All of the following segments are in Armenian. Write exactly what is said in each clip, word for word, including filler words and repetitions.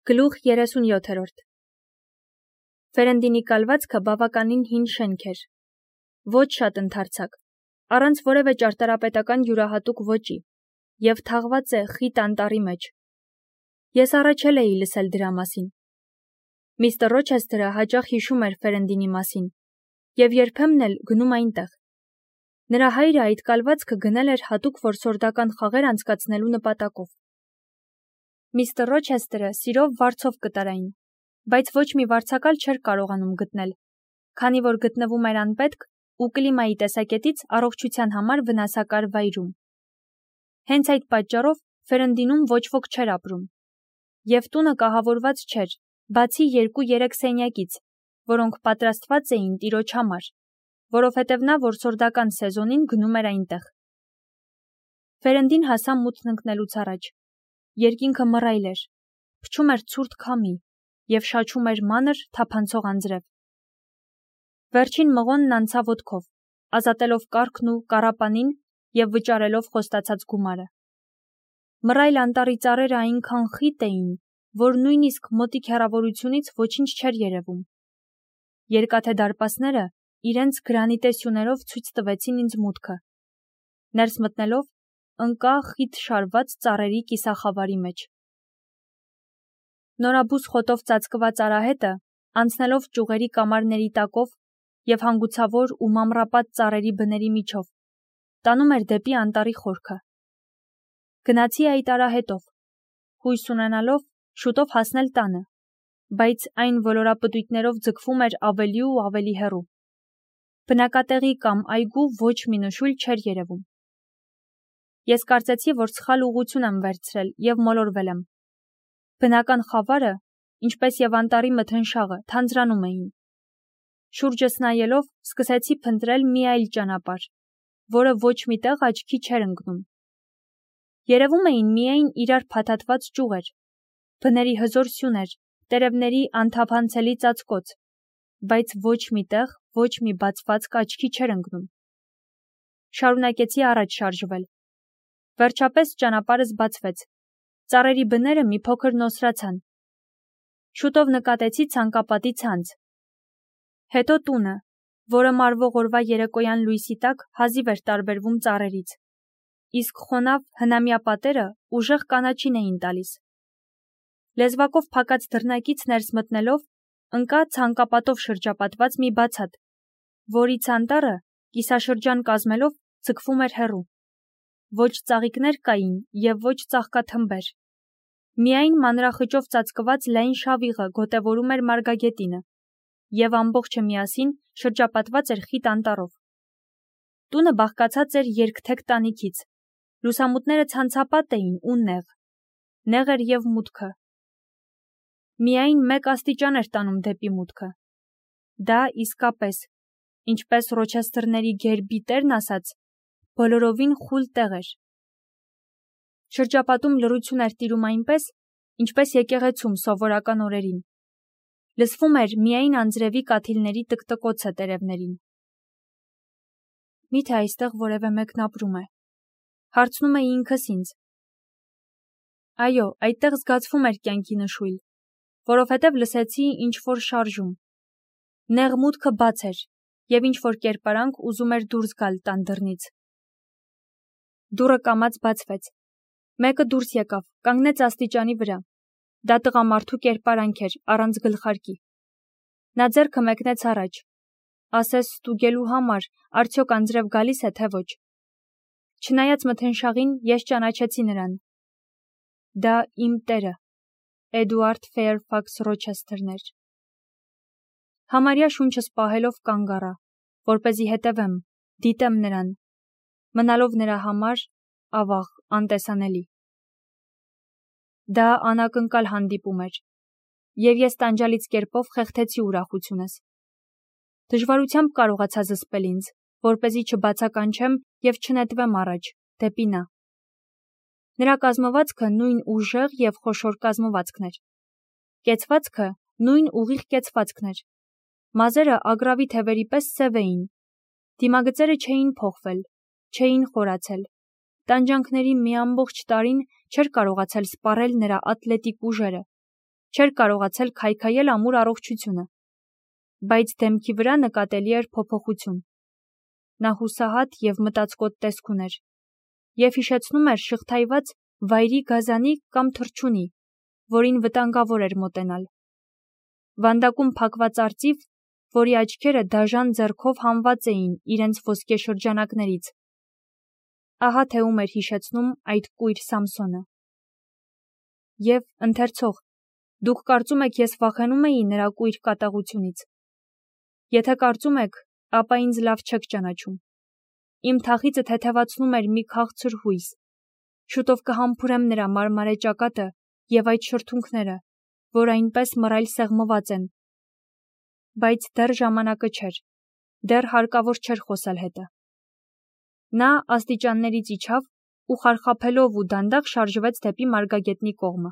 Գլուխ երեսունյոթերորդ Ֆերենդինի կալվածքը բավականին հին շենք էր, ոչ շատ ընդարձակ, առանց որևէ ճարտարապետական յուրահատուկ ոճի, և թաղված է խիտ անտառի մեջ։ Ես առաջել էի լսել դրա մասին։ Միստր Ռոչեսթերը հաճախ հիշում էր Ֆերենդինի մասին, և երբեմն էլ գնում այնտեղ։ Նրա հայրը այդ կալվածքը գնել էր հատուկ որսորդական խաղեր անցկացնելու նպատակով։ Միստր Ռոչեսթերը սիրով վարձով կտար այն, բայց ոչ մի վարձակալ չէր կարողանում գտնել, քանի որ գտնվում էր անպետք ու կլիմայի տեսակետից առողջության համար վնասակար վայրում։ Հենց այդ պատճառով Ֆերենդինում ոչ ոք չէր ապրում, և տունը կահավորված չէր, բացի երկու-երեք սենյակից, որոնք պատրաստված էին տիրոջ համար, որովհետև նա որսորդական սեզոնին գնում էր այնտեղ։ Ֆերենդին հասա մութն ընկնելուց առաջ։ Երկինքը մռայլ էր, փչում էր ցուրտ քամի և շաչում էր մանր, թափանցող անձրև։ Վերջին մղոնն անցավ ոտքով, ազատելով կառքն ու կառապանին և վճարելով խոստացած գումարը։ Մռայլ անտառի ծառերը այնքան խիտ էին, որ նույնիսկ մոտիկ հեռավորությունից ոչինչ չէր երևում։ Երկաթե դարպասները իրենց գրանիտե սյուներով ցույց տվեցին ինձ մուտքը։ Ներս մտնելով, ընկա խիտ շարված ծառերի կիսախավարի մեջ։ Նորաբույս խոտով ծածկված արահետը, անցնելով ճյուղերի կամարների տակով և հանգուցավոր ու մամռապատ ծառերի բների միջով, տանում էր դեպի անտառի խորքը։ Գնացի այդ արահետով, հույս ունենալով շուտով հասնել տանը, բայց այն ոլորապտույտներով ձգվում էր ավելի ու ավելի հեռու։ Բնակատեղի կամ այգու ոչ մի նշույլ չէր երևում։ Ես կարծեցի, որ սխալ ուղղություն եմ վերցրել և մոլորվել եմ։ Բնական խավարը, ինչպես և անտառի մթնշաղը, թանձրանում էին։ Շուրջս նայելով, սկսեցի փնտրել մի այլ ճանապարհ, որը ոչ մի տեղ աչքի չէր ընկնում։ Երևում էին միայն իրար փաթաթված ճյուղեր, բների հզոր սյուներ, տերևների անթափանցելի ծածկոց, բայց ոչ մի տեղ ոչ մի բացվածք աչքի չէր ընկնում։ Շարունակեցի առաջ շարժվել։ Վերջապես ճանապարհս բացվեց։ Ծառերի բները մի փոքր նոսրացան։ Շուտով նկատեցի ցանկապատի ցանց։ Հետո տունը, որը մարվող օրվա երեկոյան լույսի տակ հազիվ էր տարբերվում ծառերից, իսկ խոնավ հնամյա պատերը ուժեղ կանաչին էին տալիս։ Լեզվակով փակած դռնակից ներս մտնելով, ընկա ցանկապատով շրջապատված մի բացատ, որից անտառը, կիսաշրջան կազմելով, ձգվում էր հեռու։ Ոչ ծաղիկներ կային և ոչ ծաղկաթմբեր։ Միայն մանրախճով ծածկված լայն շավիղը գոտևորում էր մարգագետինը, և ամբողջը միասին շրջապատված էր խիտ անտառով։ Տունը բաղկացած էր երկթեք տանիքից։ Լուսամուտները ցանցապատ էին ու նեղ։ Նեղ էր և մուտքը։ Միայն մեկ աստիճան էր տանում դեպի մուտքը։ Դա իսկապես, ինչպես Ռոչեսթերների գերբի տերն ասաց, բոլորովին խուլ տեղ էր։ Շրջապատում լռություն էր տիրում այնպես, ինչպես եկեղեցում սովորական օրերին։ Լսվում էր միայն անձրևի կաթիլների տկտկոցը տերևներին։ Մի՞թե այստեղ որևէ մեկն ապրում է, հարցնում էի ինքս ինձ։ Այո, այդտեղ զգացվում էր կյանքի նշույլ, որովհետև լսեցի ինչ-որ շարժում։ Նեղ մուտքը բաց էր, և ինչ-որ կերպարանք ուզում էր դուրս գալ տան դռնից։ Դուռը կամաց բացվեց։ Մեկը դուրս եկավ, կանգնեց աստիճանի վրա։ Դա տղամարդու կերպարանք էր, առանց գլխարկի։ Նա ձեռքը մեկնեց առաջ, ասես ստուգելու համար, արդյոք անձրև գալիս է, թե ոչ։ Չնայած մթնշաղին, ես ճանաչեցի նրան։ Դա իմ տերը, Էդուարդ Ֆեյրֆաքս Ռոչեսթերն էր։ Համարյա շունչս պահելով կանգ առա, որպեսզի հետևեմ, դիտեմ նրան, մնալով նրա համար, ավաղ, անտեսանելի։ Դա անակնկալ հանդիպում էր, և ես տանջալից կերպով խեղդեցի ուրախությունս։ Դժվարությամբ կարողացա զսպել ինձ, որպեսզի չբացականչեմ և չնետվեմ առաջ, դեպի նա։ Նրա կազմվածքը նույն ուժեղ և խոշոր կազմվածքն էր։ Կեցվածքը նույն ուղիղ կեցվածքն էր։ Մազերը ագռավի թևերի պես սև էին։ Դիմագծերը չէին փոխվել, չէին խորացել։ Տանջանքների մի ամբողջ տարին չէր կարողացել սպառել նրա ատլետիկ ուժերը, չէր կարողացել քայքայել ամուր առողջությունը, բայց դեմքի վրա նկատելի էր փոփոխություն։ Նա հուսահատ և մտածկոտ տեսք ուներ և հիշեցնում էր շղթայված վայրի գազանի կամ թռչունի, որին վտանգավոր էր մոտենալ։ Վանդակում փակված արծիվ, որի աչքերը դաժան ձեռքով հանված էին իրենց ոսկե շրջանակներից։ Ահա թե ում էր հիշեցնում այդ կույր Սամսոնը։ Եվ ընթերցող, դուք կարծում եք ես վախենում էի նրա կույր կատաղությունից։ Եթե կարծում եք, ապա ինձ լավ չեք ճանաչում։ Իմ թախիծը թեթևացնում էր մի քաղցր հույս։ Շուտով կհամբուրեմ նրա մարմարե ճակատը և այդ շրթունքները, որ այնպես մռայլ սեղմված են։ Բայց դեռ ժամանակը չէր, դեռ հարկավոր չէր խոսել հետը։ Նա աստիճաններից իջավ ու խարխափելով ու դանդաղ շարժվեց դեպի մարգագետնի կողմը։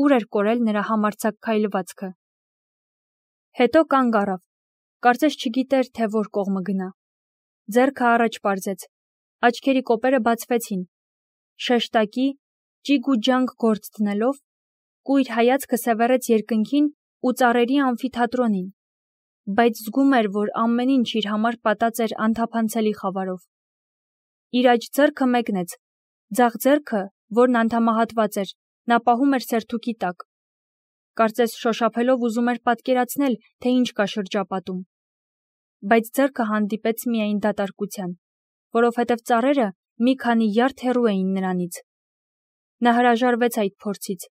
Ուր էր կորել նրա համարձակ քայլվածքը։ Հետո կանգ առավ, կարծես չգիտեր, թե որ կողմը գնա։ Ձեռքը առաջ պարզեց, աչքերի կոպերը բացվեցին, շեշտակի, ճիգ ու ջանք գործ դնելով, կույր հայացքը սևեռեց երկնքին ու ծառերի ամֆիթատրոնին, բայց զգում էր, որ ամեն ինչ իր համար պատած էր անթափանցելի խավարով։ Իր աջ ձեռքը մեկնեց, ձախ ձեռքը, որն անդամահատված էր, նա պահում էր սերթուկի տակ։ Կարծես շոշափելով ուզում էր պատկերացնել, թե ինչ կա շրջապատում։ Բայց ձեռքը հանդիպեց միայն դատարկության, որովհետև ծառերը մի քանի յարդ հեռու էին նրանից։ Նա հրաժարվեց այդ փորձից,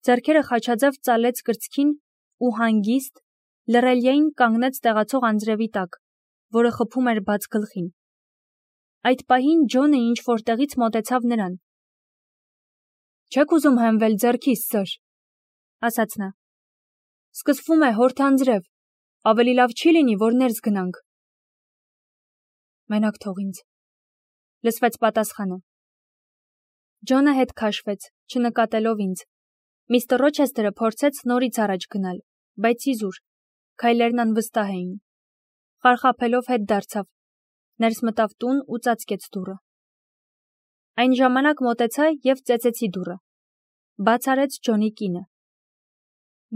ձեռքերը խաչաձև ծալեց կրծքին ու հանգիստ, լռելիային կանգնեց տեղացող անձրևի տակ, որը խփում էր բաց գլխին։ Այդ պահին Ջոնը ինչ-որտեղից մոտեցավ նրան։ «Չեք ուզում հենվել ձեռքիս, սըր», ասաց նա։ «Սկսվում է հորդ անձրև, ավելի լավ չի լինի, որ ներս գնանք»։ «Մենակ թող ինձ», լսվեց պատասխանը։ Ջոնը հետ քաշվեց, չնկատելով ինձ։ Միստր Ռոչեսթերը փորձեց նորից առաջ գնալ, բայց իզուր, քայլերն անվստահ էին։ Խարխափելով հետ դարձավ, ներս մտավ տուն ու ծածկեց դուռը։ Այն ժամանակ մոտեցա և ծեծեցի դուռը։ Բաց արեց Ջոնի կինը։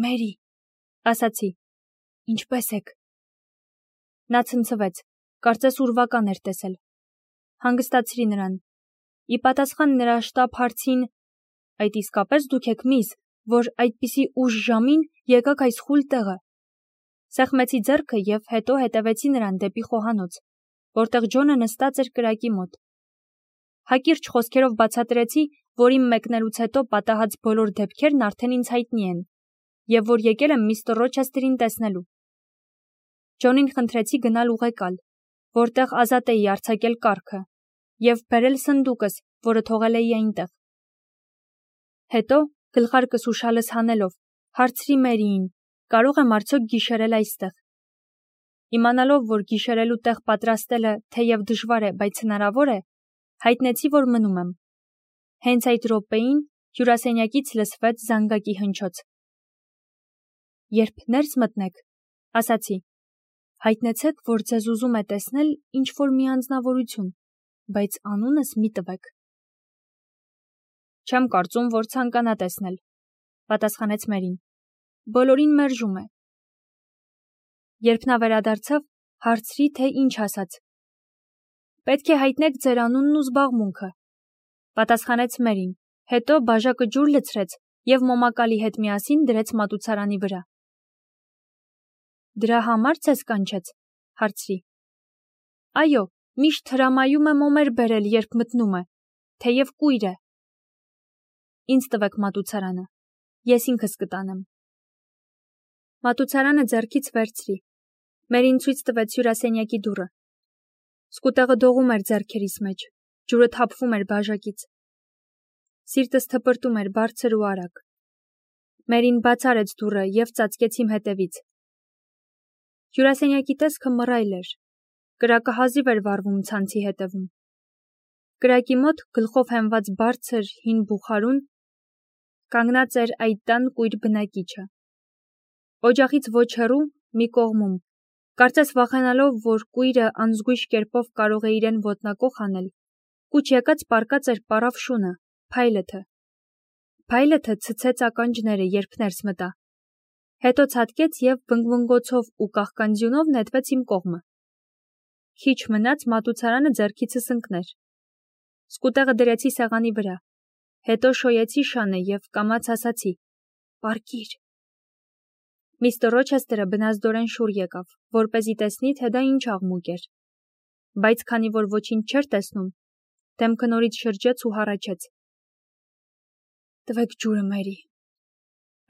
«Մերի», ասացի, «ինչպե՞ս եք»։ Նա ցնցվեց, կարծես ուրվական էր տեսել։ Հանգստացրի նրան։ Ի պատասխան նրա շտապ հարցին, «Այդ իսկապես դուք եք միզ, որ այդպիսի ուշ ժամին եկաք այս խուլ տեղը»։ Սեղմեցի ձեռքը և հետո հետևեցի նրան դեպի խոհանոց, որտեղ Ջոնը նստած էր կրակի մոտ։ Հակիրճ խոսքերով բացատրեցի, որ իմ մեկնելուց հետո պատահած բոլոր դեպքերն արդեն ինձ հայտնի են, և որ եկել եմ միստր Ռոչեսթերին տեսնելու։ Ջոնին խնդրեցի գնալ ուղեկալ, որտեղ ազատ էի արձակել կառքը, և բերել սնդուկս, որը թողել էի այնտեղ։ Հետո, գլխարկս ու շալս հանելով, հարցրի Մերիին, կարող եմ արդյոք գիշերել այստեղ։ Իմանալով, որ գիշերելու տեղ պատրաստելը թեև դժվար է, բայց հնարավոր է, հայտնեցի, որ մնում եմ։ Հենց այդ րոպեին հյուրասենյակից լսվեց զանգակի հնչոց։ «Երբ ներս մտնեք, ասացի, հայտնեցեք, որ ձեզ ուզում է տեսնել ինչ-որ մի անձնավորություն, բայց անունս մի տվեք»։ «Չեմ կարծում, որ ցանկանա տեսնել», պատասխանեց Մերին։ «Բոլորին մերժում է»։ Երբ նա վերադարձավ, հարցրի, թե ինչ ասաց։ «Պետք է հայտնեք ձեր անունն ու զբաղմունքը», պատասխանեց Մերին, հետո բաժակը ջուր լցրեց և մոմակալի հետ միասին դրեց մատուցարանի վրա։ «Դրա համար ձեզ կանչեց», հարցրի։ «Այո, միշտ հրամայում է մոմեր բերել, երբ մտնում է, թեև կույր է»։ «Ինձ տվեք մատուցարանը, ես ինքս կտանեմ»։ Մատուցարանը ձեռքից վերցրի։ Մերին ցույց տվեց հյուրասենյակի դուռը։ Սկուտեղը դողում էր ձեռքերիս մեջ, ջուրը թափվում էր բաժակից։ Սիրտս թպրտում էր բարձր ու արագ։ Մերին բաց արեց դուռը և ծածկեց իմ հետևից։ Հյուրասենյակի տեսքը մռայլ էր։ Կրակը հազիվ էր վառվում ցանցի հետևում։ Կրակի մոտ, գլխով հենված բարձր հին բուխարուն, կանգնած էր այդ տան կույր բնակիչը։ Օջախից ոչ հեռու, մի կողմում, կարծես վախենալով, որ կույրը անզգույշ կերպով կարող է իրեն ոտնակոխ անել, կուչ եկած պառկած էր պառավ շունը, փայլեթը։ Փայլեթը ցցեց ականջները, երբ ներս մտա։ Հետո ցատկեց եւ վնգվնգոցով ու կաղկանձյունով նետվեց իմ կողմը։ Քիչ մնաց մատուցարանը ձեռքիցս ընկներ։ Սկուտեղը դրեցի սեղանի վրա, հետո շոյեցի շանը եւ կամաց ասացի. «Պարկիր»։ Միստր Ռոչեսթերը բնազդորեն շուռ եկավ, որպեսզի տեսնի, թե դա ինչ աղմուկ էր։ Բայց քանի որ ոչինչ չէր տեսնում, դեմքը նորից շրջեց ու հառաչեց։ «Տվեք ջուրը, Մերի»,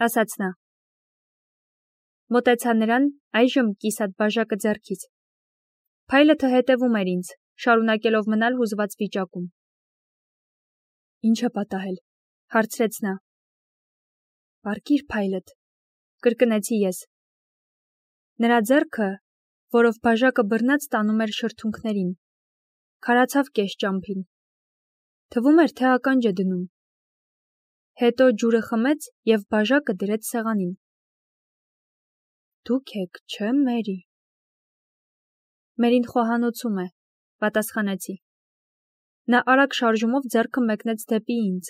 ասաց նա։ Մոտեցա նրան, այժմ կիսատ բաժակը ձեռքից։ Փայլեթը հետևում էր ինձ, շարունակելով մնալ հուզված վիճակում։ «Ինչ է պատահել», հարցրեց նա։ «Պարկիր, Փայլեթ», կրկնեցի ես։ Նրա ձեռքը, որով բաժակը բռնած տանում էր շրթունքներին, քարացավ կես ճամփին։ Թվում էր, թե ականջ է դնում։ Հետո ջուրը խմեց եւ բաժակը դրեց սեղանին։ «Դուք եք, չէ՞, Մերի»։ «Մերին խոհանոցում է», պատասխանեցի։ Նա արագ շարժումով ձեռքը մեկնեց դեպի ինձ,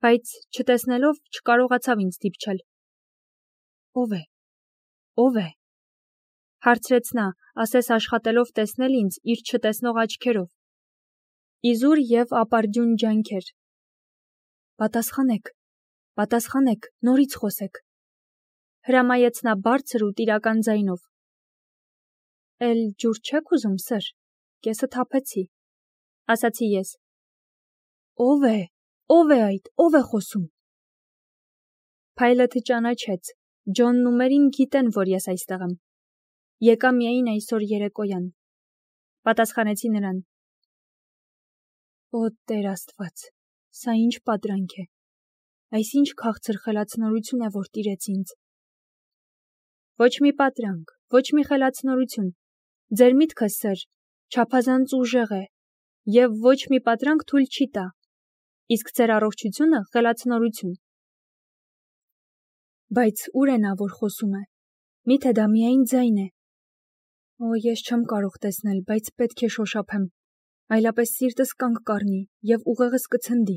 բայց չտեսնելով չկարողացավ ինձ դիպչել։ «Ո՞վ է, ո՞վ է», հարցրեց նա, ասես աշխատելով տեսնել ինձ իր չտեսնող աչքերով։ Իզուր եւ ապարդյուն ջանքեր։ «Պատասխանեք, պատասխանեք, նորից խոսեք», հրամայեց նա բարձր ու տիրական ձայնով։ «Էլ ջուր չեք ուզում, սըր, կեսը թափեցի», ասացի ես։ «Ո՞վ է, ո՞վ է այդ, ո՞վ է խոսում»։ Փայլեթը ճանաչեց, Ջոնն ու Մերին գիտեն, որ ես այստեղ եմ։ Եկա միայն այսօր երեկոյան, պատասխանեցի նրան։ Օ, Տեր Աստված, սա ինչ պատրանք է, այս ինչ քաղցր խելացնորություն է, որ տիրեց ինձ։ Ոչ մի պատրանք, ոչ մի խելացնորություն, ձեր միտքը, սըր, չափազանց ուժեղ է, եւ ոչ մի պատրանք թույլ չի տա, իսկ ձեր առողջությունը խելացնորություն։ Բայց ուր է նա, որ խոսում է, միթե դա միայն ձայն է։ Օ, ես չեմ կարող տեսնել, բայց պետք է շոշափեմ, այլապես սիրտս կանգ կառնի եւ ուղեղս կցնդի։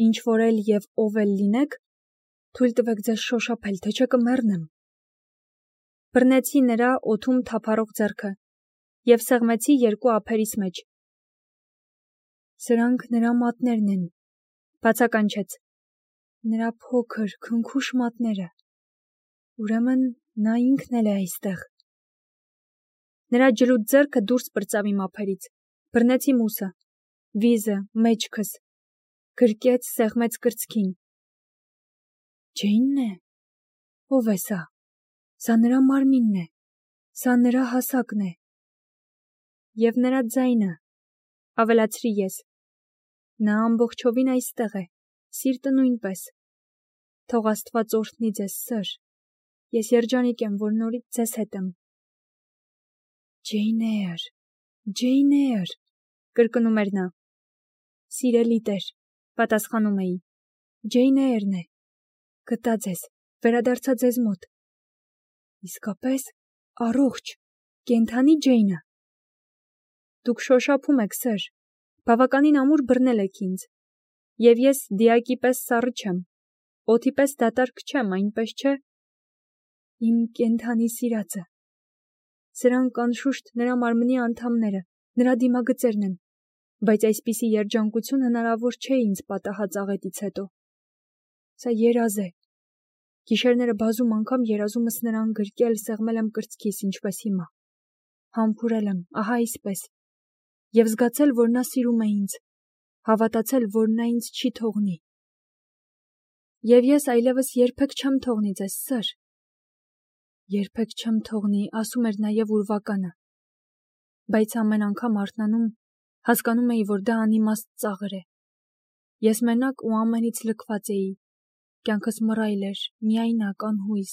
Ինչ որ էլ եւ ով էլ լինեք, թույլ տվեք ձեզ շոշափել, թե չէ կմեռնեմ։ Բռնեցի նրա օդում թափառող ձեռքը եւ սեղմեցի երկու ափերիս մեջ։ Սրանք նրա մատներն են, բացականչեց։ Նրա փոքր, քնքուշ մատները։ Ուրեմն նա ինքն էլ է այստեղ։ Նրա ջլուտ ձեռքը դուրս պրծավ իմ ափերից, բռնեցի մուսը, վիզը, մեջքս, գրկեց, սեղմեց կրծքին։ Ջեյնն է։ Ո՞վ է սա։ Սա նրա մարմինն է, սա նրա հասակն է։ Եվ նրա ձայնը, ավելացրի ես։ Նա ամբողջովին այստեղ է, սիրտը նույնպես։ Թող Աստված օրհնի ձեզ, սըր։ Ես երջանիկ եմ, որ նորից ձեզ հետ եմ։ Ջեյն Էյր, Ջեյն Էյր, կրկնում էր նա։ Սիրելի Տեր, պատասխանում էի։ Ջեյն Էյրն է։ Գտա ձեզ, վերադարձա ձեզ մոտ։ Իսկապես, առողջ, կենդանի Ջեյնը։ Դուք շոշափում եք, սըր, բավականին ամուր բռնել եք ինձ, եւ ես դիակի պես սառը չեմ, օդի պես դատարկ չեմ, այնպես չէ։ Իմ կենդանի սիրածը։ Սրանք անշուշտ նրա մարմնի անդամները, նրա դիմագծերն են, բայց այսպիսի երջանկություն հնարավոր չէ ինձ պատահած աղետից հետո։ Սա երազ է։ Գիշերները բազում անգամ երազումս նրան գրկել, սեղմել եմ կրծքիս, ինչպես հիմա։ Համբուրել եմ, ահա այսպես։ Եվ զգացել, որ նա սիրում է ինձ, հավատացել, որ նա ինձ չի թողնի։ Եվ ես այլևս երբեք չեմ թողնի ձեզ, սըր։ Երբեք չեմ թողնի, ասում էր նաև ուրվականը։ Բայց ամեն անգամ արթնանում, հասկանում էի, որ դա անիմաստ ծաղր է։ Ես մենակ ու ամենից լքված էի, կյանքս մռայլ էր, միայնակ, անհույս։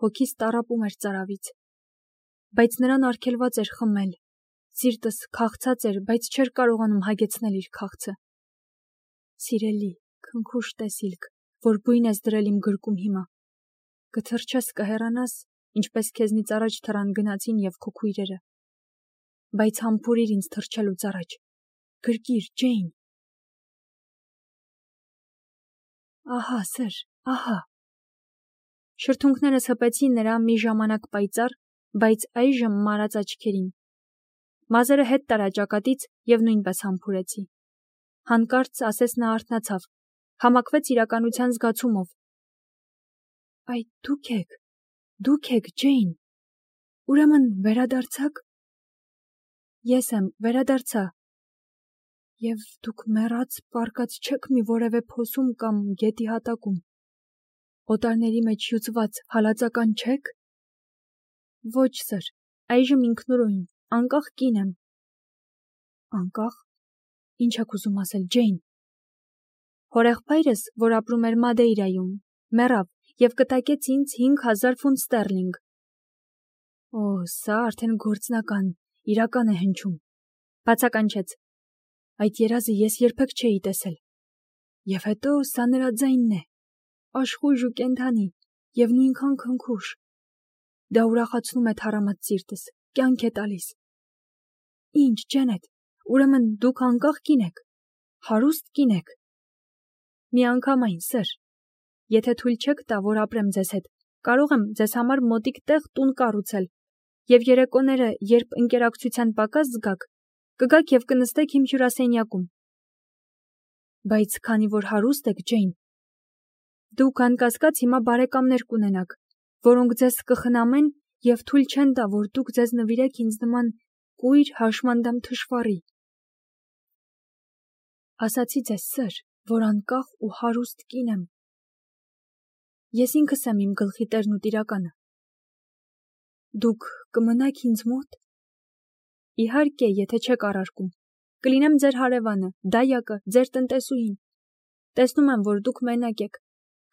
Հոգիս տառապում էր ծարավից։ Բայց նրան արգելված էր խմել, սիրտս քաղցած էր, բայց չէր կարողանում հագեցնել իր քաղցը։ Սիրելի, քնքուշ տեսիլք, որ բույն ես դրել իմ գրկում հիմա։ Կթրջես, կհեռանաս, ինչպես քեզնից առաջ թռան գնացին եւ քո քույրերը։ Բայց համբուրիր ինձ թրջելուց առաջ։ Գրկիր, Ջեյն։ Ահա, սեր, ահա։ Շրթունքներս հպեցի նրա մի ժամանակ պայծառ, բայց այժմ մարած աչքերին։ Մազերը հետ տարա ճակատից և նույնպես համբուրեցի։ Հանկարծ ասես նա արթնացավ, համակվեց իրականության զգացումով։ Այդ դուք եք, դուք եք, Ջեյն։ Ուրեմն վերադարձաք։ Ես եմ, վերադարձա։ Եվ դուք մեռած պառկած չեք մի որևէ փոսում կամ գետի հատակում։ Օտարների մեջ հյուծված հալածական չեք։ Ոչ, սր, այժմ ինքնուրույն, անկախ կին եմ։ Անկախ։ Ինչ եք ուզում ասել, Ջեյն։ Հորեղբայրս, որ ապրում էր Մադեյրայում, մեռավ և կտակեց ինձ հինգ հազար ֆունտ ստերլինգ։ Օ, սա արդեն գործնական, իրական է հնչում։ Բացականչեց։ Այդ երազը ես երբեք չէի տեսել։ Եվ հետո սա նրա ձայնն է, աշխույժ ու կենդանի, և նույնքան քնքուշ։ Դա ուրախացնում է թառամած սիրտս, կյանք է տալիս։ Ինչ, Ջենետ, ուրեմն դուք անկախ կին եք, հարուստ կին եք։ Միանգամայն, սր, եթե թույլ չեք տա, որ ապրեմ ձեզ հետ, կարող եմ ձեզ համար մոտիկ տեղ տուն կառուցել, և երեկոները, երբ ընկերակցության պակաս զգաք, կգաք և կնստեք իմ հյուրասենյակում։ Բայց քանի որ հարուստ եք, Ջեյն, դուք անկասկած հիմա բարեկամներ կունենաք, որոնք ձեզ կխնամեն և թույլ չեն տա, որ դուք ձեզ նվիրեք ինձ նման կույր հաշմանդամ թշվառի։ Ասացի ձեզ, սր, որ անկախ ու հարուստ կին եմ։ Ես ինքս եմ իմ գլխի տերն ու տիրականը։ Դուք կմնաք ինձ մոտ։ Իհարկե, եթե չեք առարկում, կլինեմ ձեր հարևանը, դայակը, ձեր տնտեսուհին։ Տեսնում եմ, որ դուք մենակ եք,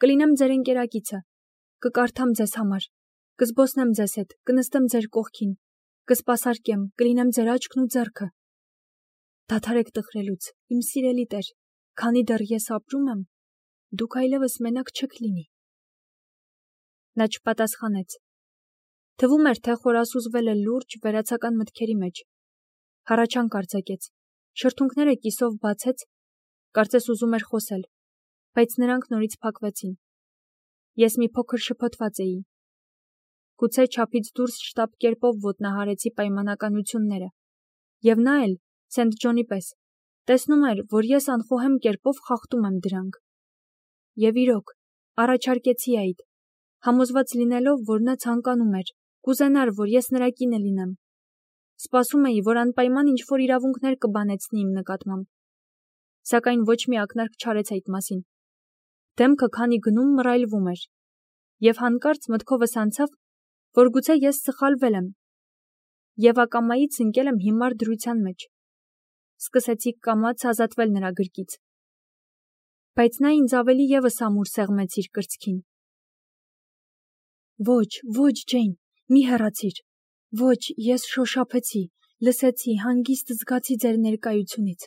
կլինեմ ձեր ընկերակիցը, կկարդամ ձեզ համար, կզբոսնեմ ձեզ հետ, կնստեմ ձեր կողքին, կսպասարկեմ, կլինեմ ձեր աչքն ու ձեռքը։ Դադարեք տխրելուց, իմ սիրելի տեր, քանի դեռ ես ապրում եմ, դուք այլևս մենակ չեք լինի։ Նա չպատասխանեց։ Թվում էր, թե խորասուզվել է լուրջ վերացական մտքերի մեջ։ Հառաչանք արձակեց, շրթունքները կիսով բացեց, կարծես ուզում էր խոսել, բայց նրանք նորից փակվեցին։ Ես մի փոքր շփոթված էի։ Գուցե չափից դուրս շտապ կերպով ոտնահարեցի պայմանականությունները, և նա էլ, Սենթ Ջոնի պես, տեսնում էր, որ ես անխոհեմ կերպով խախտում եմ դրանք։ Եվ իրոք, առաջարկեցի այդ, համոզված լինելով, որ նա ցանկանում էր, կուզենար, որ ես նրա կինը լինեմ։ Սպասում էի, որ անպայման ինչ-որ իրավունքներ կբանեցնի իմ նկատմամբ։ Սակայն ոչ մի ակնարկ չարեց այդ մասին։ Դեմքը քանի գնում մռայլվում էր, և հանկարծ մտքովս անցավ, որ գուցե ես սխալվել եմ, և ակամայից ընկել եմ հիմար դրության մեջ։ Սկսեցի կամաց ազատվել նրա գրկից։ Բայց նա ինձ ավելի ևս ամուր սեղմեց իր կրծքին։ Ոչ, ոչ, Ջեյն, մի հեռացիր։ Ոչ, ես շոշափեցի, լսեցի, հանգիստ զգացի ձեր ներկայությունից,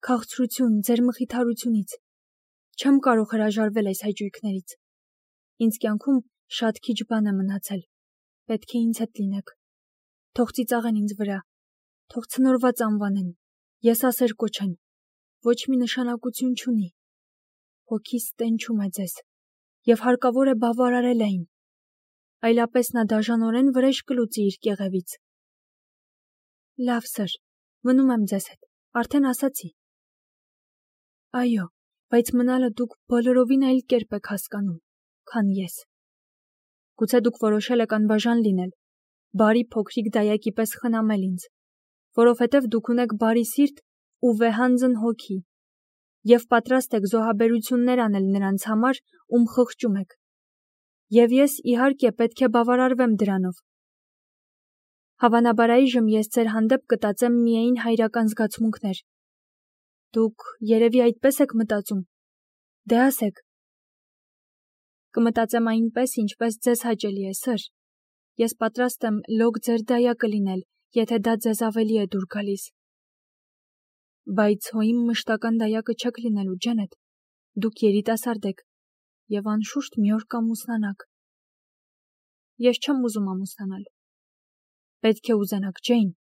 քաղցրություն, ձեր մխիթարությունից։ Չեմ կարող հրաժարվել այս հայջույքներից։ Ինձ կյանքում շատ քիչ բան է մնացել։ Պետք է ինձ հետ լինեք։ Թող ծիծաղեն ինձ վրա, թող ցնորված անվանեն, եսասեր կոչեն, ոչ մի նշանակություն չունի։ Հոգիս տենչում է ձեզ, և հարկավոր է բավարարել այն։ Այլապես նա դաժանորեն վրեժ կլուծի իր կեղևից։ Լավ, սր, մնում եմ ձեզ հետ, արդեն ասացի։ Այո, բայց մնալը դուք բոլորովին այլ կերպ եք հասկանում, քան ես։ Գուցե դուք որոշել եք անբաժան լինել, բարի փոքրիկ դայակի պես խնամել ինձ, որովհետև դուք ունեք բարի սիրտ ու վեհանձն հոգի, և պատրաստ եք զոհաբերություններ անել նրանց համար, ում խղճում եք։ Եվ ես, իհարկե, պետք է բավարարվեմ դրանով։ Հավանաբար այժմ ես ձեր հանդեպ կտածեմ միայն հայրական զգացմունքներ։ Դուք երևի այդպես եք մտածում։ Դե ասեք։ Կմտածեմ այնպես, ինչպես ձեզ հաճելի է, սր։ Ես պատրաստ եմ լոկ ձեր դայակը լինել, եթե դա ձեզ ավելի է դուր գալիս։ Բայց հո իմ մշտական դայակը չեք լինելու, Ջենետ։ Դուք երիտասարդ եք, և անշուշտ մի օր կամուսնանաք։ Ես չեմ ուզում ամուսնանալ։ Պետք է ուզենաք, Ջեյն։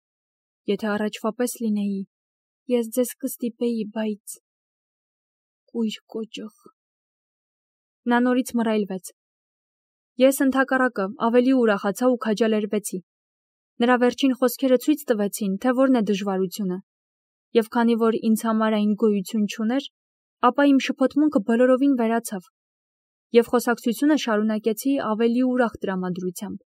Եթե առաջվա պես լինեի, ես ձեզ կստիպեի, բայց… Կույր կոճղ։ Նա նորից մռայլվեց։ Ես ընդհակառակը ավելի ուրախացա ու քաջալերվեցի։ Նրա վերջին խոսքերը ցույց տվեցին, թե որն է դժվարությունը, եւ քանի որ ինձ համար այն գոյություն չուներ, ապա իմ շփոթմունքը բոլորովին վերացավ, եւ խոսակցությունը շարունակեցի ավելի ուրախ տրամադրությամբ։